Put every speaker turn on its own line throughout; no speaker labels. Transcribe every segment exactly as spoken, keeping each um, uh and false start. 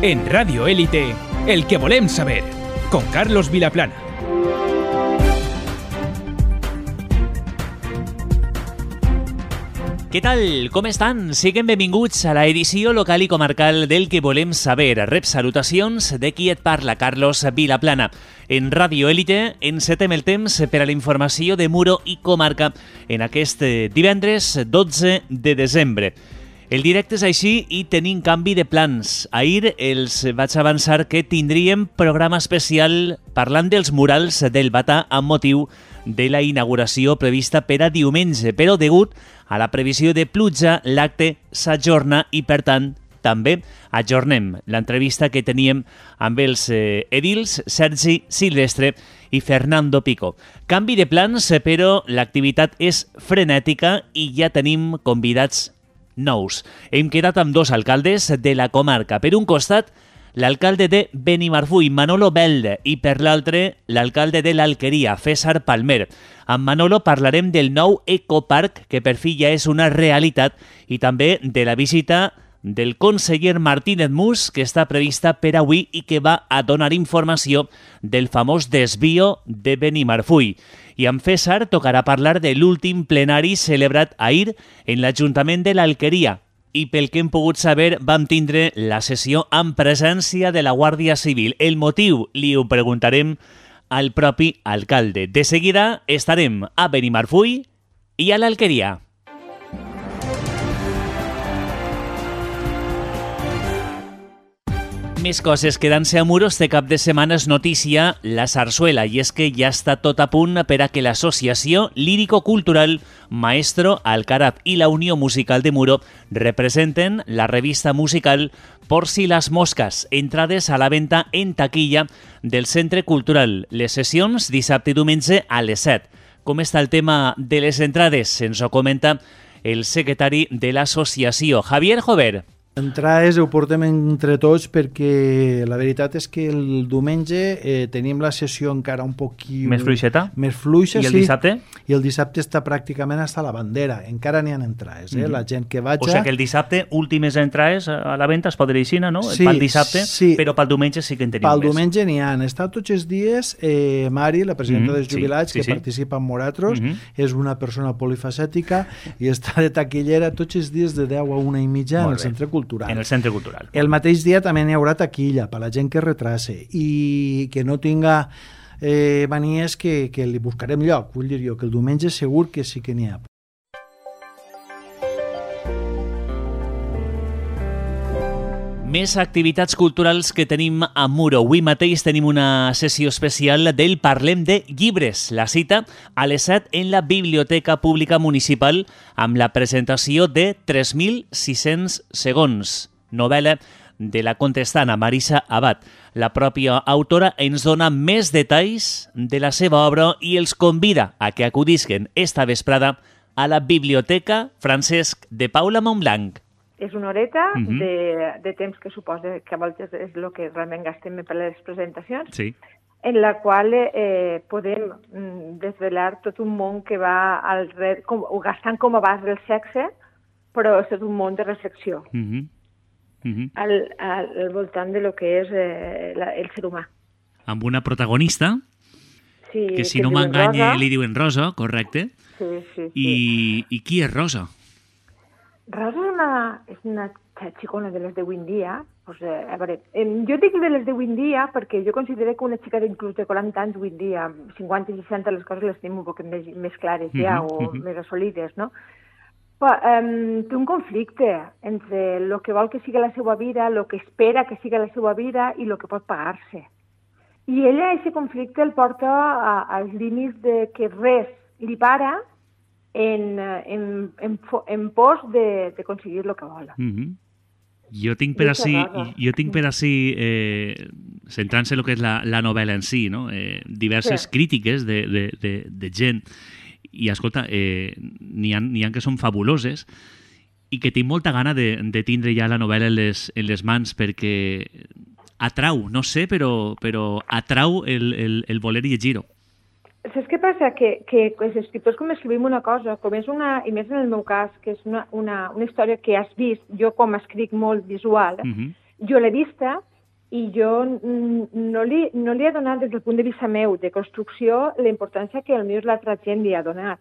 En Radio Élite, el que volem saber, con Carlos Vilaplana.
Què tal? Com estan? Siguin benvinguts a la edició local i comarcal del que volem saber. Rep salutacions de qui et parla, Carlos Vilaplana. En Radio Élite encetem el temps per a la informació de Muro i comarca en aquest divendres dotze de desembre. El directe és així i tenim canvi de plans. Ahir els vaig avançar que tindríem programa especial parlant dels murals del Batà amb motiu de la inauguració prevista per a diumenge, però degut a la previsió de pluja, l'acte s'ajorna i, per tant, també ajornem l'entrevista que teníem amb els eh, edils Sergi Silvestre i Fernando Pico. Canvi de plans, però l'activitat és frenètica i ja tenim convidats nous. Hem quedat amb dos alcaldes de la comarca. Per un costat, l'alcalde de Benimarfull, Manolo Belde, i per l'altre, l'alcalde de l'Alqueria, César Palmer. Amb Manolo parlarem del nou ecoparc, que per fi ja és una realitat, i també de la visita del conseller Martínez Mus, que està prevista per avui i que va a donar informació del famós desvio de Benimarfull. I amb César tocarà parlar de l'últim plenari celebrat ahir en l'Ajuntament de l'Alqueria. I pel que hem pogut saber, vam tindre la sessió amb presència de la Guàrdia Civil. El motiu li ho preguntarem al propi alcalde. De seguida estarem a Benimarfull i a l'Alqueria. Més coses. Quedant-se a Muro, este cap de setmana és notícia la sarsuela, i és que ja està tot a punt per a que l'associació lírico-cultural Maestro Alcaraz i la Unió Musical de Muro representen la revista musical Por si las moscas, entrades a la venda en taquilla del Centre Cultural. Les sessions dissabte i diumenge a les set. Com està el tema de les entrades? Ens ho comenta el secretari de l'associació, Javier Jover.
Entrades ho portem entre tots perquè la veritat és que el diumenge eh, tenim la sessió encara un poquí...
Més fluixeta?
Més fluixa,
sí. I el dissabte?
I el dissabte està pràcticament hasta la bandera. Encara n'hi ha entrades, eh? Mm-hmm. La gent que vaja...
O sigui que el dissabte, últimes entrades a la venda es podrà dir, no?
Sí,
pel dissabte,
sí.
Però pel diumenge sí que en tenim
pel
més.
Pel diumenge n'hi ha. Està tots els dies eh, Mari, la presidenta mm-hmm. dels jubilats, sí, sí, que sí. participa en Moratros, mm-hmm. és una persona polifacètica i està de taquillera tots els dies de deu a una i mitja en el Centre Cultural.
En el Centre Cultural.
El mateix dia també n'hi haurà taquilla per la gent que retrase i que no tinga eh, manies que, que li buscarem lloc. Vull dir jo que el diumenge segur que sí que n'hi ha.
Més activitats culturals que tenim a Muro. Avui mateix tenim una sessió especial del Parlem de Llibres. La cita a les set en la Biblioteca Pública Municipal amb la presentació de tres mil sis-cents segons, novel·la de la contestana Marisa Abad. La pròpia autora ens dona més detalls de la seva obra i els convida a que acudisquen esta vesprada a la Biblioteca Francesc de Paula Montblanc.
És una horeta
uh-huh.
de, de temps que suposa que a voltes és el que realment gastem per les presentacions,
sí.
en la qual eh, podem desvelar tot un món que va al red, com, gastant com a base del sexe, però és tot un món de reflexió
uh-huh. Uh-huh.
Al, al, al voltant de lo que és eh, la, el ser humà.
Amb una protagonista,
sí,
que si
que
no m'enganye
Rosa.
li diuen Rosa, correcte?
Sí, sí, sí.
I, I qui és Rosa?
Rosa és una, és una xicona de les de avui en dia. Pues, eh, a veure, eh, jo dic de les de avui en dia perquè jo considero que una xica d'inclús de quaranta anys avui en dia, cinquanta i seixanta, les coses les tenim un poc més, més clares ja, uh-huh, o uh-huh. més assolides, no? Però, um, té un conflicte entre el que vol que sigui la seva vida, el que espera que sigui la seva vida i el que pot pagar-se. I ella, aquest conflicte, el porta a, als límits de que res li para en, en, en, en pos de, de aconseguir el que vol.
Uh-huh. Jo tinc per ací, jo tinc per ací eh, centrant-se en el que és la, la novel·la en si, no? eh, diverses sí. crítiques de, de, de, de gent, i escolta, eh, n'hi ha, n'hi ha que són fabuloses i que tinc molta gana de, de tindre ja la novel·la en les, en les mans perquè atrau, no sé, però, però atrau el, el, el voler llegir-ho.
Saps què passa? Que, que els escriptors com escrivim una cosa, com és una, i més en el meu cas, que és una, una, una història que has vist, jo com escric molt visual, uh-huh. jo l'he vista i jo no li, no li he donat des del punt de vista meu de construcció la importància que potser l'altra gent li ha donat,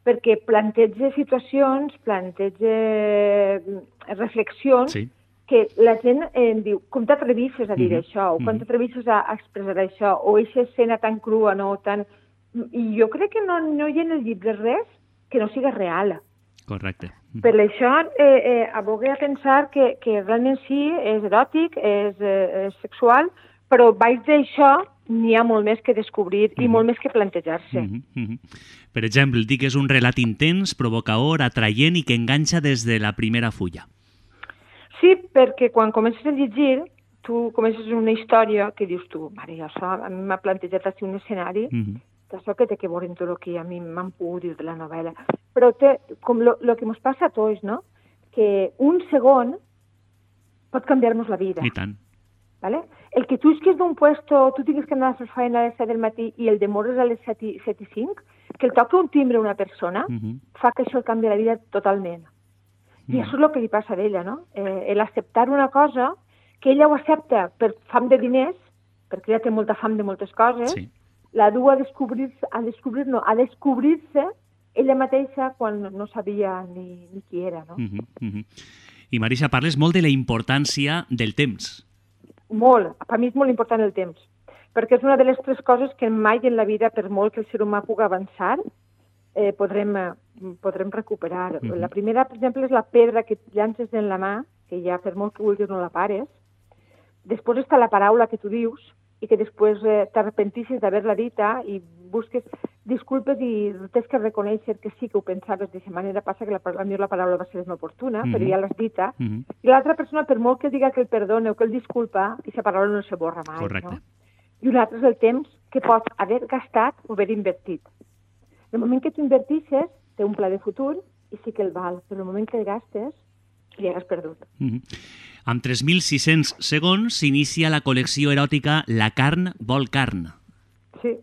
perquè planteja situacions, planteja reflexions sí. que la gent eh, diu, com t'atrevisses a dir mm-hmm. això, o com t'atrevisses a expressar això, o aquesta escena tan crua, no, tan... I jo crec que no, no hi ha en el llibre res que no siga real.
Correcte.
Per això eh, eh, abogue a pensar que, que realment sí, és eròtic, és, eh, és sexual, però baix d'això n'hi ha molt més que descobrir mm-hmm. i molt més que plantejar-se.
Mm-hmm. Mm-hmm. Per exemple, dic que és un relat intens, provocador, atraient i que enganxa des de la primera fulla.
Sí, perquè quan comences a llegir, tu comences una història que dius tu, mare, això a mi m'ha plantejat així un escenari, mm-hmm. això que té que veure en tot el que a mi m'han pogut dir de la novel·la. Però té, com lo, lo que ens passa a tots, no? Que un segon pot canviar-nos la vida.
I tant.
¿Vale? El que tu isques d'un puesto, tu tinguis que anar a fer feina a les set del matí i el demores a les set i cinc, que el toca un timbre a una persona, uh-huh. fa que això el canvi la vida totalment. I uh-huh. això és el que li passa a ella, no? Eh, l'acceptar una cosa que ella ho accepta per fam de diners, perquè ella té molta fam de moltes coses, sí. la du a descobrir-se, a descobrir, no, a descobrir-se ella mateixa quan no sabia ni, ni qui era, no?
Uh-huh. Uh-huh. I Marisa, parles molt de la importància del temps.
Molt, per mi és molt important el temps, perquè és una de les tres coses que mai en la vida, per molt que el ser humà pugui avançar, eh, podrem, podrem recuperar. Mm-hmm. La primera, per exemple, és la pedra que llances en la mà, que ja per molt que vulguis no la pares. Després està la paraula que tu dius i que després eh, t'arrepentissis d'haver-la dita i busques disculpes i tens que reconèixer que sí que ho pensaves d'aquesta manera. Passa que la, a mi la paraula va ser inoportuna, mm-hmm. però ja l'has dita. Mm-hmm. I l'altra persona, per molt que diga que el perdona o que el disculpa, aquesta paraula no se borra mai.
Correcte.
No? I un altre és el temps que pots haver gastat o haver invertit. El moment que tu invertisses, té un pla de futur i sí que el val, però el moment que el gastes, li has perdut.
Mm-hmm. Amb tres mil sis-cents segons s'inicia la col·lecció eròtica La carn vol carn.
Sí,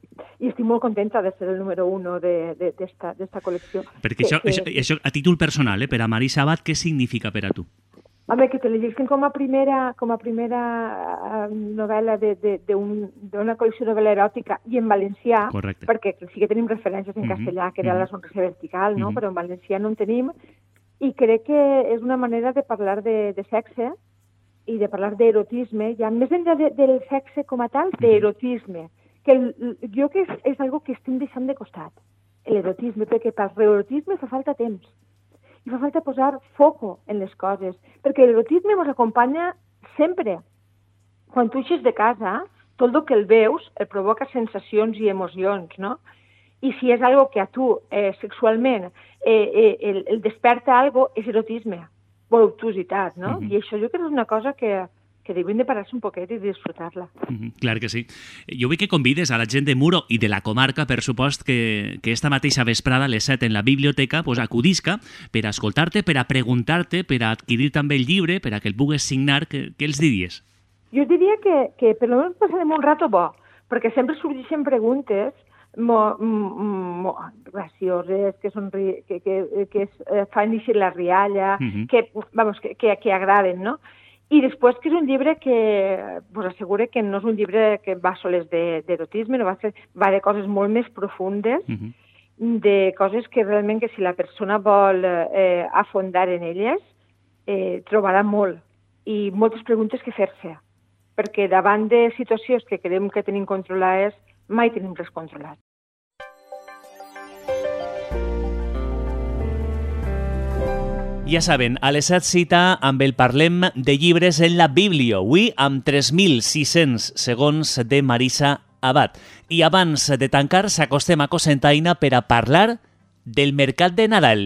i estic molt contenta de ser el número uno d'esta col·lecció.
Perquè això, que, això, això, a títol personal, eh, per a Marisa Abad, què significa per a tu?
Home, que te llegeixin com a primera, com a primera novel·la d'una col·lecció de novel·la eròtica i en valencià,
correcte.
Perquè sí que tenim referències en mm-hmm. castellà, que era mm-hmm. la sonrisa vertical, no? Mm-hmm. Però en valencià no en tenim, i crec que és una manera de parlar de, de sexe i de parlar d'erotisme, ja més enllà de, del sexe com a tal, d'erotisme, que el, jo que és, és algo que estem deixant de costat, l'erotisme, perquè per l'erotisme fa falta temps, i fa falta posar foco en les coses, perquè l'erotisme ens acompanya sempre. Quan tu eixes de casa, tot el que el veus el provoca sensacions i emocions, no? I si és algo que a tu eh, sexualment eh, eh, el, el desperta algo, és erotisme, voluptuositat, no? Mm-hmm. I això jo crec que és una cosa que, que devien de parar-se un poquet i disfrutar-la.
Mm-hmm. Clar que sí. Jo vull que convides a la gent de Muro i de la comarca, per supost, que, que esta mateixa vesprada, a les set, en la biblioteca, pues, acudisca per a escoltar-te, per a preguntar-te, per a adquirir també el llibre, per a que el pugues signar. Què, què els diries?
Jo diria que, que per almenys passarem un rato bo, perquè sempre sorgeixen preguntes Mo, mo, gracioses, que, són, que, que, que es, eh, fan eixir la rialla, uh-huh. que, vamos, que, que, que agraden, no? I després que és un llibre que vos assegure que no és un llibre que va soles d'erotisme, no va, ser, va de coses molt més profundes, uh-huh. de coses que realment que si la persona vol eh, afondar en elles, eh, trobarà molt i moltes preguntes que fer-se, perquè davant de situacions que creiem que tenim controlades, mai tenim res controlat.
Ja saben, a les set cita amb el Parlem de llibres en la Biblio, avui amb tres mil sis-cents segons de Marisa Abad. I abans de tancar, s'acostem a Cocentaina per a parlar del mercat de Nadal.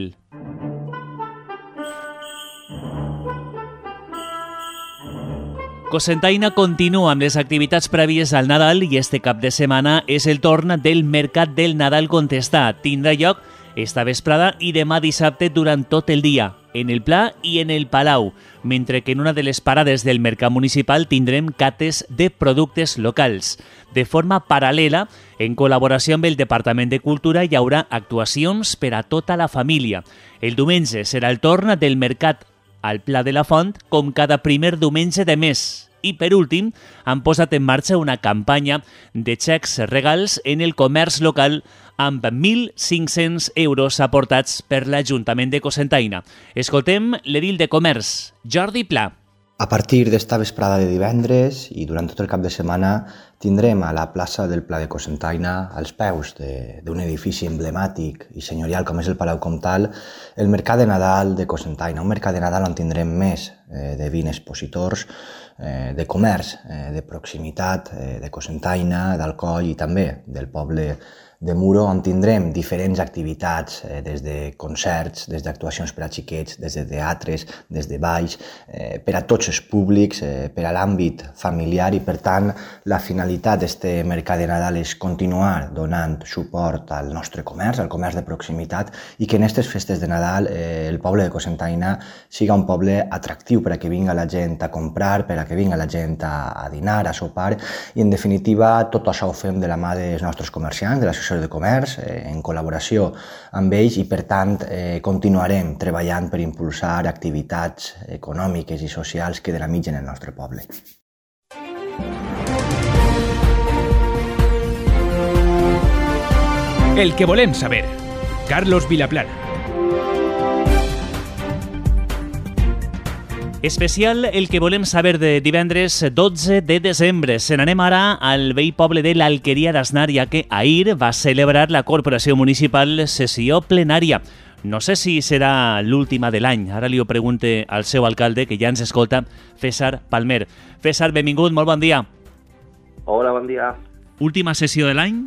Cocentaina continua amb les activitats prèvies al Nadal i este cap de setmana és el torn del Mercat del Nadal Contestat. Tindrà lloc esta vesprada i demà dissabte durant tot el dia, en el Pla i en el Palau, mentre que en una de les parades del Mercat Municipal tindrem cates de productes locals. De forma paral·lela, en col·laboració amb el Departament de Cultura, hi haurà actuacions per a tota la família. El diumenge serà el torn del Mercat al Pla de la Font, com cada primer diumenge de mes. I, per últim, han posat en marxa una campanya de xecs regals en el comerç local amb mil cinc-cents euros aportats per l'Ajuntament de Cocentaina. Escoltem l'edil de Comerç, Jordi Pla.
A partir d'esta vesprada de divendres i durant tot el cap de setmana tindrem a la plaça del Pla de Cocentaina, als peus d'un edifici emblemàtic i senyorial com és el Palau Comtal, el Mercat de Nadal de Cocentaina, un mercat de Nadal on tindrem més eh, de vint expositors eh, de comerç, eh, de proximitat, eh, de Cocentaina, d'Alcoi i també del poble de Muro, on tindrem diferents activitats, eh, des de concerts, des d'actuacions per a xiquets, des de teatres, des de balls, eh, per a tots els públics, eh, per a l'àmbit familiar i, per tant, la finalitat d'este Mercat de Nadal és continuar donant suport al nostre comerç, al comerç de proximitat, i que en aquestes festes de Nadal eh, el poble de Cocentaina siga un poble atractiu per a que vinga la gent a comprar, per a que vinga la gent a, a dinar, a sopar, i en definitiva tot això ho fem de la mà dels nostres comerciants, de l'associació de comerç, eh, en col·laboració amb ells, i per tant eh, continuarem treballant per impulsar activitats econòmiques i socials que dinamitzen el nostre poble.
El que volem saber. Carlos Vilaplana.
Especial El que volem saber de divendres dotze de desembre. Se n'anem ara al vell poble de l'Alqueria d'Asnar, ja que ahir va celebrar la Corporació Municipal sessió plenària. No sé si serà l'última de l'any. Ara li ho pregunte al seu alcalde, que ja ens escolta, César Palmer. César, benvingut, molt bon dia.
Hola, bon dia.
Última sessió de l'any?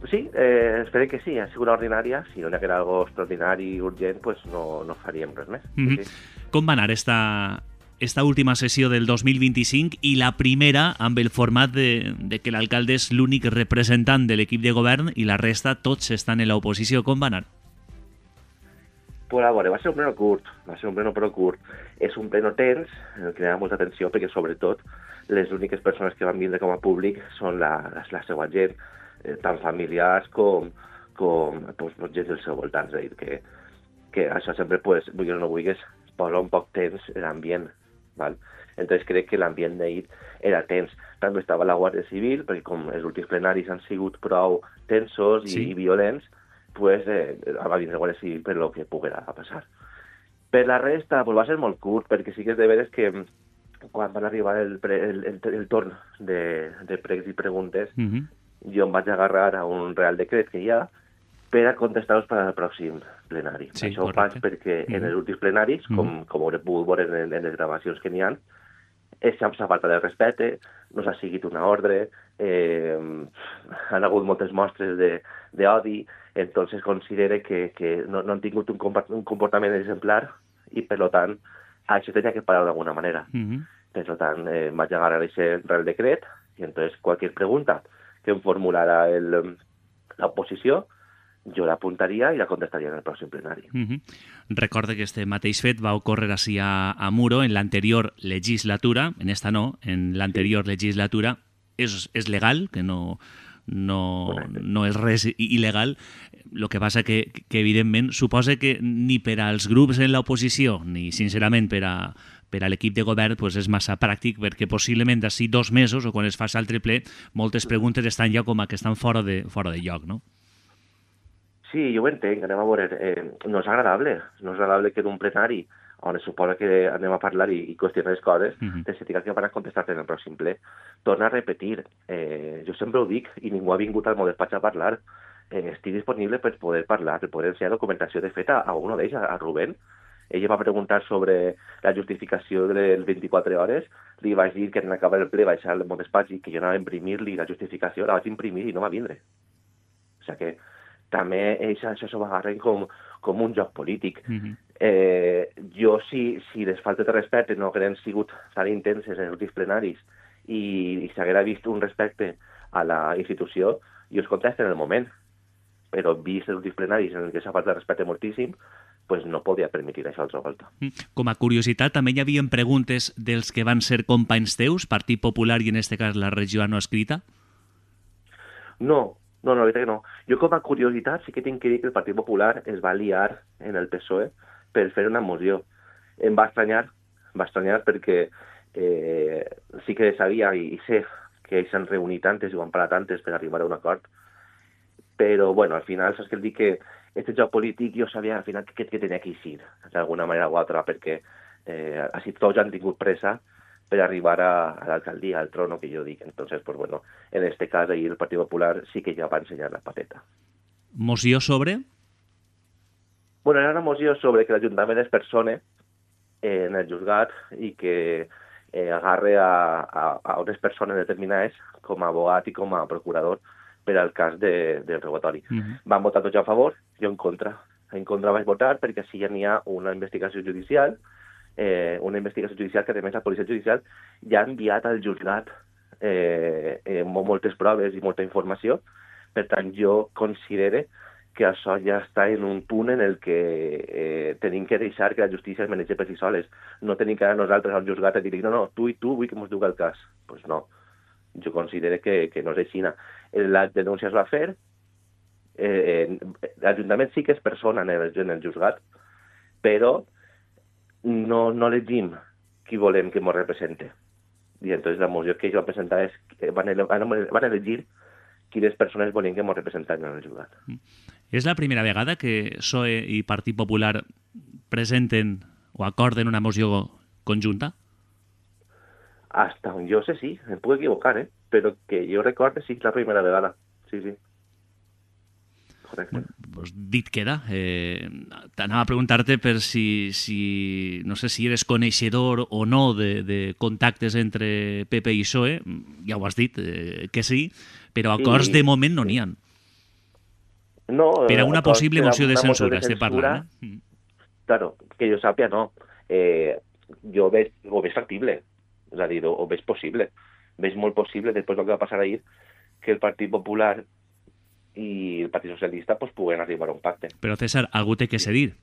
Sí, eh, espero que sí, ha sigut ordinària. Si no hi haguera algo extraordinari i urgent, pues no, no faríem res més.
Mm-hmm. Sí. Com va anar esta, esta última sessió del dos mil vint-i-cinc i la primera amb el format de, de que l'alcalde és l'únic representant de l'equip de govern i la resta tots estan en l'oposició? Com va anar?
Pues a veure, va ser un pleno curt, va ser un pleno però curt. És un pleno tens, en el que hi ha molta atenció, perquè sobretot les úniques persones que van vindre com a públic són la, la, la seva gent, eh, tant familiars com, com pues, gent del seu voltant. És a dir, que, que això sempre, pues, vulguis o no vulguis, posa un poc tens l'ambient, val? Entonces crec que l'ambient d'ahir era tens. També estava la Guàrdia Civil, perquè com els últims plenaris han sigut prou tensos i, sí. i violents, pues eh, va vindre la Guàrdia Civil per lo que poguera passar. Per la resta, pues va ser molt curt, perquè sí que és de veres que quan van arribar el, pre, el, el, el torn de, de pregs i preguntes, uh-huh. jo em vaig agarrar a un real decret que hi ha per a contestar-los per al pròxim plenari. Sí, això ho faig perquè mm. en els últims plenaris, mm. com, com hauré pogut veure en, en les gravacions que n'hi ha, s'ha falta de respecte, no s'ha seguit una ordre, eh, han hagut moltes mostres d'odi, entonces considere que, que no, no han tingut un, un comportament exemplar i, per tant, això tenia que parar d'alguna manera. Mm-hmm. Per tant, eh, vaig agarrar aquest real decret i, entonces, qualsevol pregunta que em formulara l'oposició, jo l'apuntaria i la contestaria en el pròxim plenari.
Mm-hmm. Recorde que este mateix fet va ocórrer així a, a Muro en l'anterior legislatura, en esta no, en l'anterior sí. legislatura. És, és legal, que no, no, no és res il·legal. El que passa que, que evidentment, suposa que ni per als grups en l'oposició, ni sincerament per a, per a l'equip de govern, pues és massa pràctic, perquè possiblement d'ací dos mesos, o quan es faci altre ple, moltes preguntes estan ja com a que estan fora de, fora de lloc, no?
Sí, jo ho entenc, anem a veure, eh, no és agradable, no és agradable que d'un plenari on es suposa que anem a parlar i, i qüestionar les coses, uh-huh. te se diga que van a contestar-te en el pròxim ple. Torna a repetir, eh, jo sempre ho dic i ningú ha vingut al meu despatx a parlar, eh, estic disponible per poder parlar, per poder ensenyar documentació de fet a, a un d'ells, a, a Rubén. Ell va preguntar sobre la justificació de les vint-i-quatre hores, li vaig dir que en acabar el ple vaig al meu despatx i que jo anava a imprimir-li la justificació, la vaig imprimir i no va vindre. O sigui que també ells això s'ho agarren com, com un joc polític. Mm-hmm. eh, jo, si, si les faltes de respecte no hagueren sigut tan intenses en els últims plenaris i, i s'haguera vist un respecte a la institució, jo es contesto en el moment. Però vist els últims plenaris en què s'ha faltat de respecte moltíssim, pues no podia permetir això altra volta.
Com a curiositat, també hi havia preguntes dels que van ser companys teus, Partit Popular i en este cas la regió no escrita?
No, no, no, la veritat que no. Jo com a curiositat sí que tinc que dir que el Partit Popular es va liar en el P S O E per fer una moció. Em va estranyar, em va estranyar perquè eh, sí que sabia i, i sé que ells s'han reunit antes i ho han parat antes per arribar a un acord, però bueno, al final saps que el dic que aquest joc polític jo sabia al final que, que tenia que eixir d'alguna manera o altra, perquè eh, així tots han tingut pressa per arribar a, a l'alcaldia, al trono que jo dic. Entonces, pues bueno, en este cas ahí el Partit Popular sí que ja va ensenyar la pateta.
Moció sobre?
Bueno, era una moció sobre que l'Ajuntament es persone en el juzgat i que eh, agarre a, a, a unes persones determinades com a abogat i com a procurador per al cas de, del robatori. Uh-huh. Van votar tots a favor, jo en contra. En contra vaig votar perquè sí ja n'hi ha una investigació judicial, eh, una investigació judicial que a més la policia judicial ja ha enviat al juzgat eh, eh, moltes proves i molta informació. Per tant, jo considere que això ja està en un punt en el que eh, tenim que deixar que la justícia es manegi per si soles. No tenim que anar nosaltres al juzgat i dir no, no, tu i tu vull que ens duga el cas. Doncs pues no. Jo considero que, que no és així. La denúncia es va fer, eh, l'Ajuntament sí que és persona en el, en el juzgat, però no, no elegim qui volem que ens represente. I entonces la moció que jo vam presentar és que van, van elegir quines persones volien que ens representen en el juzgat.
És la primera vegada que P S O E i Partit Popular presenten o acorden una moció conjunta?
Hasta on jo sé sí, em puc equivocar, eh? Però que jo recorde sí, la primera vegada. Sí, sí. Correcte.
Pues dit queda. Eh, T'anava a preguntar-te per si, si, no sé si eres coneixedor o no de, de contactes entre P P i P S O E. Ja ho has dit, eh, que sí, però acords sí, de moment no n'hi ha.
No,
per a una possible moció de censura, estem parlant. Eh?
Claro, que jo sàpia, no. Eh, jo veig, ho veig factible. És a dir, o veig possible. Veig molt possible, després del que va passar ahir, que el Partit Popular i el Partit Socialista pues, puguen arribar a un pacte.
Però, César, algú té que cedir,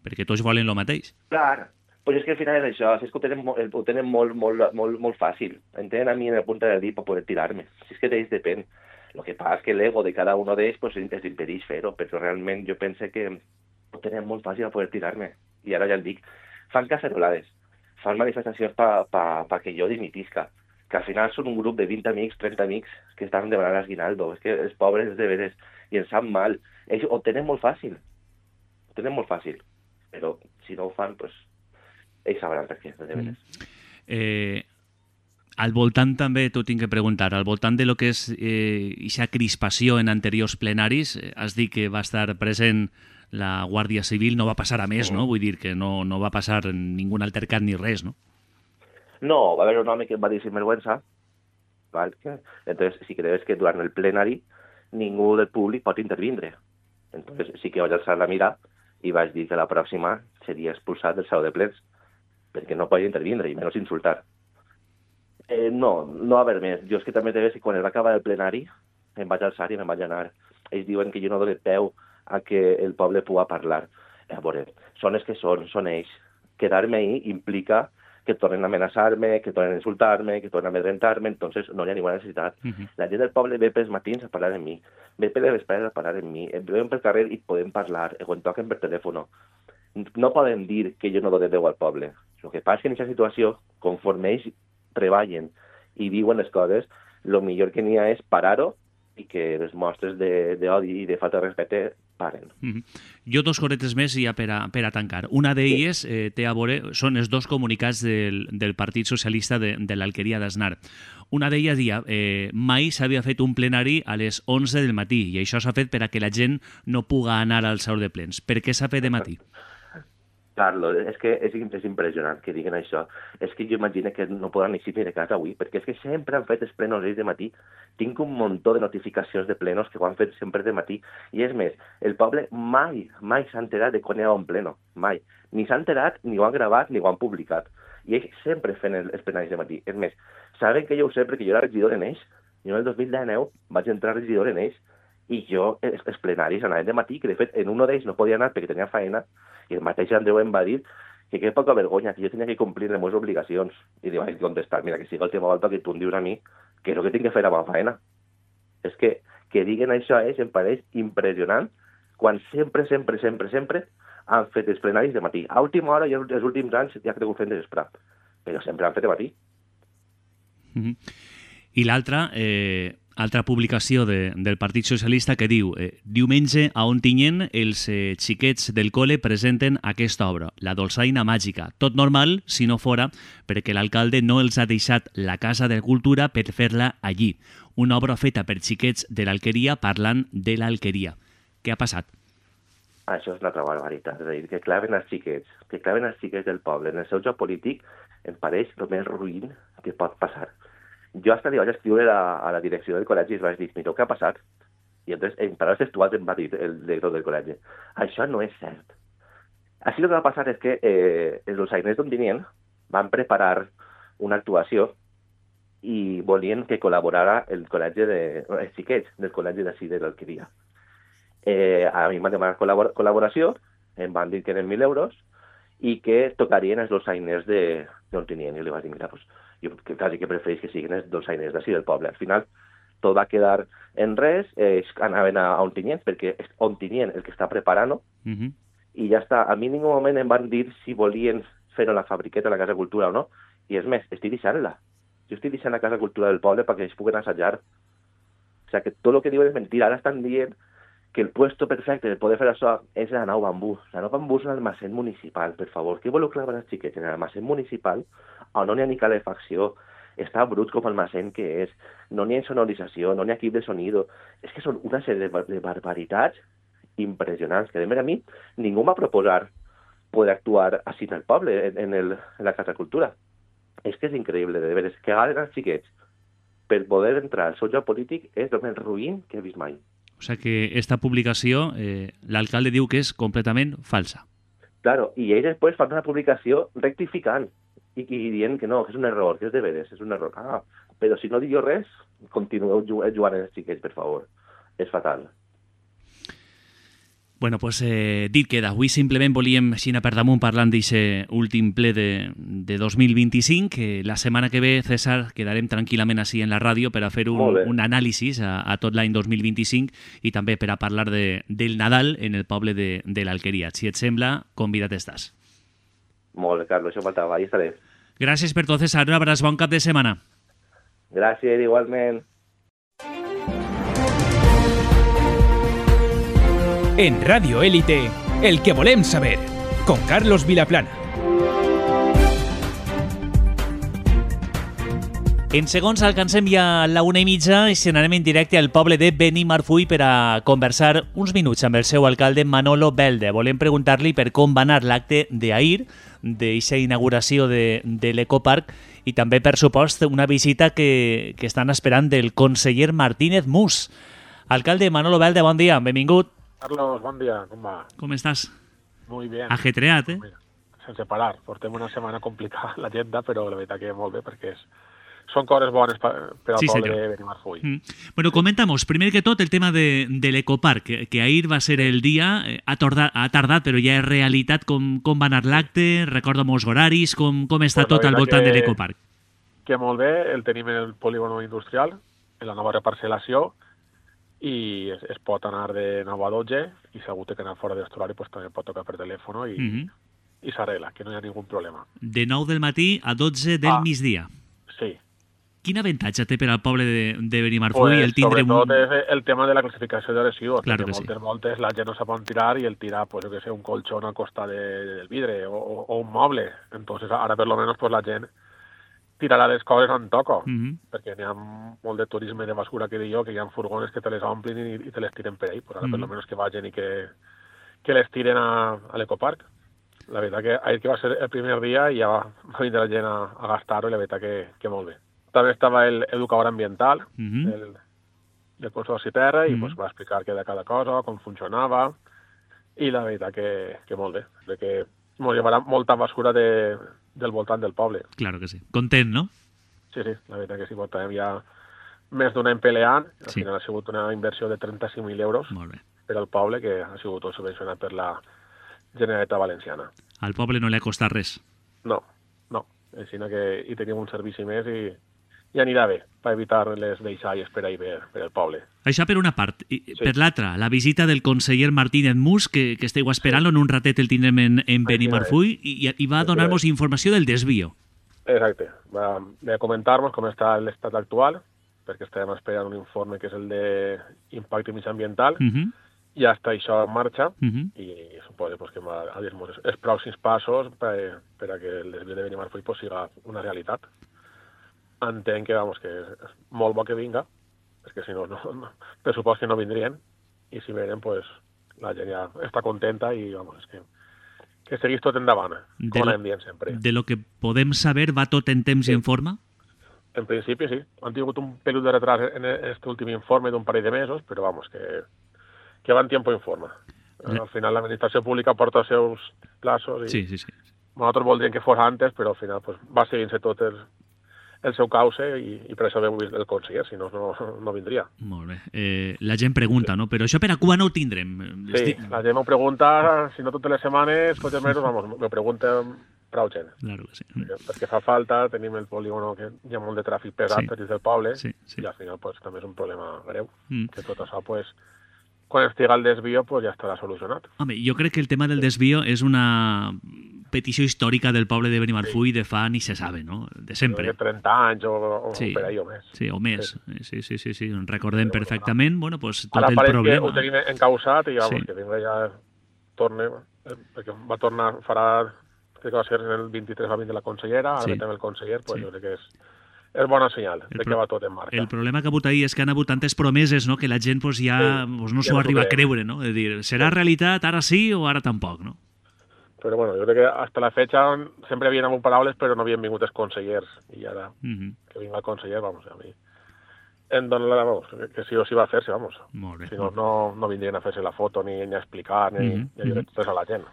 perquè tots volen el mateix.
Clar, pues és que al final és això, és que ho tenen, ho tenen molt, molt, molt, molt fàcil. Em tenen a mi en el punt del dit per poder tirar-me. Si és que d'ells depèn. El que passa és que l'ego de cada un d'ells pues, els impedeix fer-ho, però realment jo penso que ho tenen molt fàcil a poder tirar-me. I ara ja el dic, fan cacerolades, fan manifestacions perquè pa, pa que jo dimitisca, que al final són un grup de vint amics, trenta amics que estan demanant l'esguinaldo. És que els pobres de veres i ens sap mal. Ells ho tenen molt fàcil. Ho tenen molt fàcil. Però si no ho fan, pues, ells sabran per què, de veres. Mm.
Eh, al voltant també t'ho tinc que preguntar, al voltant de lo que és aquesta eh, crispació en anteriors plenaris, eh, has dit que va estar present la Guàrdia Civil, no va passar a més, no? Vull dir que no, no va passar ningun altercat ni res, no?
No, va haver un home que em va dir sinvergüenza, val? Entonces sí que debes que durant el plenari ningú del públic pot intervindre. Entonces sí que vaig alçar la mira i vaig dir que la pròxima seria expulsat del saló de plens, perquè no podia intervindre i menys insultar. Eh, no, no va haver més. Jo és que també te veus que quan es va acabar el plenari em vaig alçar i me'n vaig anar. Ells diuen que jo no dono peu a que el poble pugui parlar. A veure, són els que són, són ells. Quedar-me ahí implica que tornen a amenaçar-me, que tornen a insultar-me, que tornen a amedrentar-me, entonces no hi ha ninguna necessitat. Uh-huh. La gent del poble ve pels matins a parlar amb mi, ve per les vesprades a parlar amb mi, ven pel carrer i podem parlar, o en toquen per telèfon. No poden dir que jo no dono veu al poble. El que passa és que en aquesta situació, conforme ells treballen i diuen les coses, el millor que n'hi ha és parar-ho i que les mostres d'odi i de falta de respecte paren.
Mm-hmm. Jo dos coretes més ja per a, per a tancar. Una d'elles sí. eh, té a veure, són els dos comunicats del, del Partit Socialista de, de l'Alqueria d'Asnar. Una d'elles dia, eh, mai s'havia fet un plenari a les onze del matí i això s'ha fet per a que la gent no puga anar al saló de plens. Per què s'ha fet de matí?
Carlos, és que és, és impressionant que diguin això. És que jo imagino que no podran eixir de casa avui, perquè és que sempre han fet els plenos ells de matí. Tinc un muntó de notificacions de plenos que ho han fet sempre de matí. I és més, el poble mai, mai s'ha enterat de quan hi ha un pleno. Mai. Ni s'ha enterat, ni ho han gravat, ni ho han publicat. I ells sempre fent els plenaris de matí. És més, saben que jo ho sé perquè jo era regidor en ells. Jo en el dos mil dinou vaig entrar regidor en ells i jo, els, els plenaris anaven de matí, que de fet en un d'ells no podia anar perquè tenia feina, i el mateix Andreu em va dir que que poca vergonya, que jo tenia que complir les meves obligacions. I li vaig contestar, mira, que sigui l'última volta que tu em dius a mi que és el que tinc que fer amb la feina. És que que diguen això és, em pareix impressionant, quan sempre, sempre, sempre, sempre han fet els plenaris de matí. A última hora i els últims anys ja ha cregut fent de vespre, però sempre han fet de matí.
Mm-hmm. I l'altra, eh, altra publicació de, del Partit Socialista que diu eh, diumenge a Ontinyent els eh, xiquets del col·le presenten aquesta obra, La dolçaina màgica. Tot normal, si no fora perquè l'alcalde no els ha deixat la Casa de Cultura per fer-la allí. Una obra feta per xiquets de l'Alqueria parlant de l'Alqueria. Què ha passat?
Això és una altra barbaritat, és a dir, que claven els xiquets, que claven els xiquets del poble. En el seu joc polític em pareix el més ruïn que pot passar. Jo hasta li vaig escriure a, a la direcció del col·legi i vaig dir, mireu què ha passat? I entonces, en paraules textuals em va dir el director del col·legi, això no és cert. Així el que va passar és que eh, els dolçainers d'Ontinyent van preparar una actuació i volien que col·laborara el col·legi de, els xiquets del col·legi d'ací de l'Alqueria. Eh, a mi em van demanar col·labor col·laboració, em van dir que eren mil euros i que tocarien els dolçainers d'Ontinyent. I li vaig dir, mira, pues, jo que quasi que prefereix que siguin els dolçainers d'ací del poble. Al final, tot va quedar en res, eh, anaven a, a Ontinyent, perquè és Ontinyent el que està preparant-ho, uh-huh. I ja està. A mi en ningú moment em van dir si volien fer-ho a la fabriqueta, a la Casa Cultura o no, i és més, estic deixant-la. Jo estic deixant la Casa Cultura del poble perquè ells puguen assajar. O sigui, que tot el que diuen és mentira. Ara estan dient que el puesto perfecte de poder fer això és la Nou Bambú. La Nou Bambú és un almacén municipal, per favor. Què voleu clavar els xiquets? En l'almacén municipal, on no n'hi ha ni calefacció, està brut com almacén que és, no n'hi ha sonorització, no n'hi ha equip de sonido. És que són una sèrie de, bar de barbaritats impressionants, que de més a mi ningú m'ha proposat poder actuar així en el poble, en, en, el, en la Casa Cultura. És que és increïble, de veres, que agaden els xiquets per poder entrar al seu joc polític és el més ruïn que he vist mai.
O sea que esta publicació, eh, l'alcalde diu que és completament falsa.
Claro, i ells després fan una publicació rectificant i, i dient que no, que és un error, que és de veres, és un error. Ah, però si no dic jo res, continueu jugant els xiquets, per favor. És fatal.
Bueno, pues eh, dit queda. Avui simplement volíem, Xina per damunt, parlant d'aquest últim ple de, de dos mil vint-i-cinc, que la setmana que ve, César, quedarem tranquil·lament així en la ràdio per a fer un, un anàlisi a, a tot l'any dos mil vint-i-cinc i també per a parlar de, del Nadal en el poble de, de l'Alqueria. Si et sembla, convidat estàs.
Molt bé, Carlos, això faltava, ahí estaré.
Gràcies per tot, César. Un abraç, bon cap de setmana.
Gràcies, igualment.
En Radio Élite, el que volem saber, con Carlos Vilaplana.
En segons alcancem ja la una i mitja i se n'anem en directe al poble de Benimarfull per a conversar uns minuts amb el seu alcalde Manolo Belde. Volem preguntar-li per com va anar l'acte d'ahir, d'aquesta inauguració de, de l'Ecoparc i també, per supost, una visita que, que estan esperant del conseller Martínez Mus. Alcalde Manolo Belde, bon dia, benvingut.
Carlos, bon dia, com va?
Com estàs?
Muy bien.
Ajetreat, eh?
Sense parar. Portem una setmana complicada l'agenda, però la veritat que molt bé, perquè és, són coses bones per, per al sí, poble senyor. De Benimarfull. Mm.
Bueno, comentamos, primer que tot, el tema de, de l'Ecoparc, que, que ahir va ser el dia, eh, ha, tardat, ha tardat, però ja és realitat. Com, com va anar l'acte? Recorda molts horaris, com, com està pues tot al voltant que, de l'Ecoparc?
Que molt bé, el tenim en el polígono industrial, en la nova reparcel·lació, i es, es pot anar de nou a dotze i si algú té que anar fora de l'horari pues, també pot tocar per telèfon i, mm-hmm. i s'arregla, que no hi ha ningun problema.
De nou del matí a dotze del ah, migdia.
Sí.
Quin avantatge té per al poble de, de Benimarfull
pues,
el tindre...
Sobretot
un...
és el tema de la classificació de residus,
claro
que,
que
moltes
sí.
voltes la gent no sap on tirar i el tirar, pues, jo que sé, un colxón al costat de, del vidre o, o, o un moble. Entonces ara per lo menos pues, la gent tirarà les coses on toco, mm-hmm. perquè n'hi ha molt de turisme de basura que dic jo, que hi ha furgones que te les omplin i, i te les tiren per ahí, però ara mm-hmm. per lo menos que vagin i que, que les tiren a, a l'Ecoparc. La veritat que ahir que va ser el primer dia i ja va, va vindre la gent a, a gastar-ho i la veritat que, que molt bé. També estava el educador ambiental mm-hmm. del, del Consorci Terra i mm-hmm. pues, va explicar què de cada cosa, com funcionava i la veritat que, que molt bé, perquè ens llevarà molta basura de del voltant del poble.
Claro que sí. Content, no?
Sí, sí, la veritat que sí, portàvem ja més d'un any peleant, al
sí.
final ha sigut una inversió de trenta-cinc mil euros per al poble, que ha sigut tot subvencionat per la Generalitat Valenciana.
Al poble no li ha costat res?
No, no, així que hi tenim un servici més i, i anirà bé, per evitar les deixalles per ahir per, per el poble.
Això per una part. I,
sí.
Per l'altra, la visita del conseller Martínez Mus, que, que esteu esperant-lo, sí. en un ratet el tindrem en, en Benimarfull, i, i va donar-nos informació del desvío.
Exacte. Va, ve a comentar-nos com està l'estat actual, perquè estem esperant un informe que és el d'impacte mitjambiental,
Uh-huh.
ja està això en marxa,
Uh-huh.
i suposo pues, que va a dir-nos els pròxims passos per, per a que el desvio de Benimarfull pues, siga una realitat. Entenc que, vamos, que és molt bo que vinga, perquè si no, no, no pressupost que no vindrien, i si venen, pues, la gent ja està contenta i, vamos, és que que seguís tot endavant,
De
com
lo-
anem dient sempre.
De lo que podem saber, va tot en temps
Sí.
i en forma?
En principi sí, han tingut un pelut de retras en aquest últim informe d'un parell de mesos, però vamos, que, que va en tiempo en forma.
Sí.
Al final l'administració pública porta els seus plazos i
Sí, sí, sí.
nosaltres voldríem que fos antes, però al final pues, va seguint-se tot el, el seu cauce i, i per això hem vist el conseller, si no, no, no vindria.
Molt bé. Eh, la gent pregunta, no? Però això per a quan ho tindrem?
Sí,
Estic-
la gent m'ho pregunta, si no totes les setmanes, tots els mesos, vamos, m'ho pregunten prou gent.
Claro que sí.
Perquè, perquè fa falta, tenim el polígono que hi ha molt de tràfic pesat
Sí.
sí. dins del poble,
Sí, sí.
i al final pues, també és un problema greu,
Mm.
que tot això, pues, quan estiga el desvio, pues, ja estarà solucionat.
Home, jo crec que el tema del desvio és una petició històrica del poble de Benimarfull de fa ni se sabe, no? De sempre.
De trenta anys o, o
Sí.
per ahí o més.
Sí, o més.
Sí.
Sí, sí, sí, sí. Recordem perfectament, bueno, pues, tot
Ara
el
pareix
problema.
que ho tenim encausat i vamos,
Sí.
que vinga ja torne, eh, perquè va tornar, farà, crec que va ser en el vint-i-tres va vindre la consellera, ara
Sí.
sí. també el conseller, pues
Sí.
jo crec que és, és bona senyal
El
de
pro-
que va tot en marxa.
El problema que ha hagut ahir és que han hagut tantes promeses, no?, que la gent pues, ja
Sí,
pues, no
ja
s'ho
no
arriba
s'ho
a
creu.
creure, no? És dir, serà realitat ara sí o ara tampoc, no?
Però bueno, jo crec que hasta la fecha sempre havien hagut paraules però no havien vingut els consellers i ara
Mhm.
que vinga el conseller, vamos, a mi em dona la, vamos, que, que sí o sí va a fer-se, vamos.
Molt bé.
Si no, no, no vindrien a fer-se la foto ni, ni a explicar ni,
Mhm,
ni a dir res a la gent.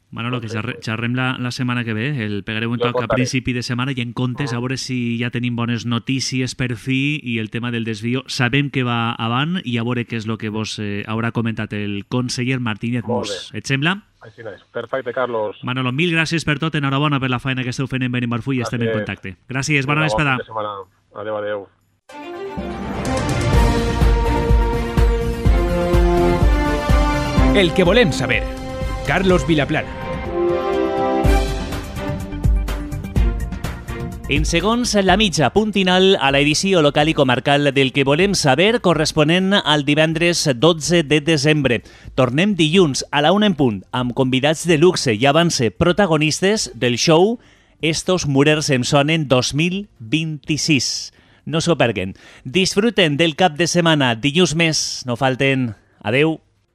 Manolo, que xerre, xerrem la, la setmana que ve, el pegareu un
Jo
toc a
contaré.
principi de setmana i en comptes, a veure si ja tenim bones notícies per fi i el tema del desvio sabem que va avant i a veure què és el que vos eh, haurà comentat el conseller Martínez
Molt
Mus.
bé.
Et sembla?
Així és. Perfecte, Carlos.
Manolo, mil gràcies per tot, enhorabona per la feina que esteu fent en Benimarfull i estem en
Gràcies.
contacte. Gràcies, bona
Vinga, bon
vesprada.
fin de setmana. Adéu, adéu.
El que volem saber. Carlos Vilaplana.
En segons la mitja, punt final a l'edició local i comarcal del que volem saber corresponent al divendres dotze de desembre. Tornem dilluns a la una en punt amb convidats de luxe i avance protagonistes del show Estos Murers em sonen dos mil vint-i-sis. No s'ho perguen. Disfruten del cap de setmana. Dilluns més. No falten. Adeu.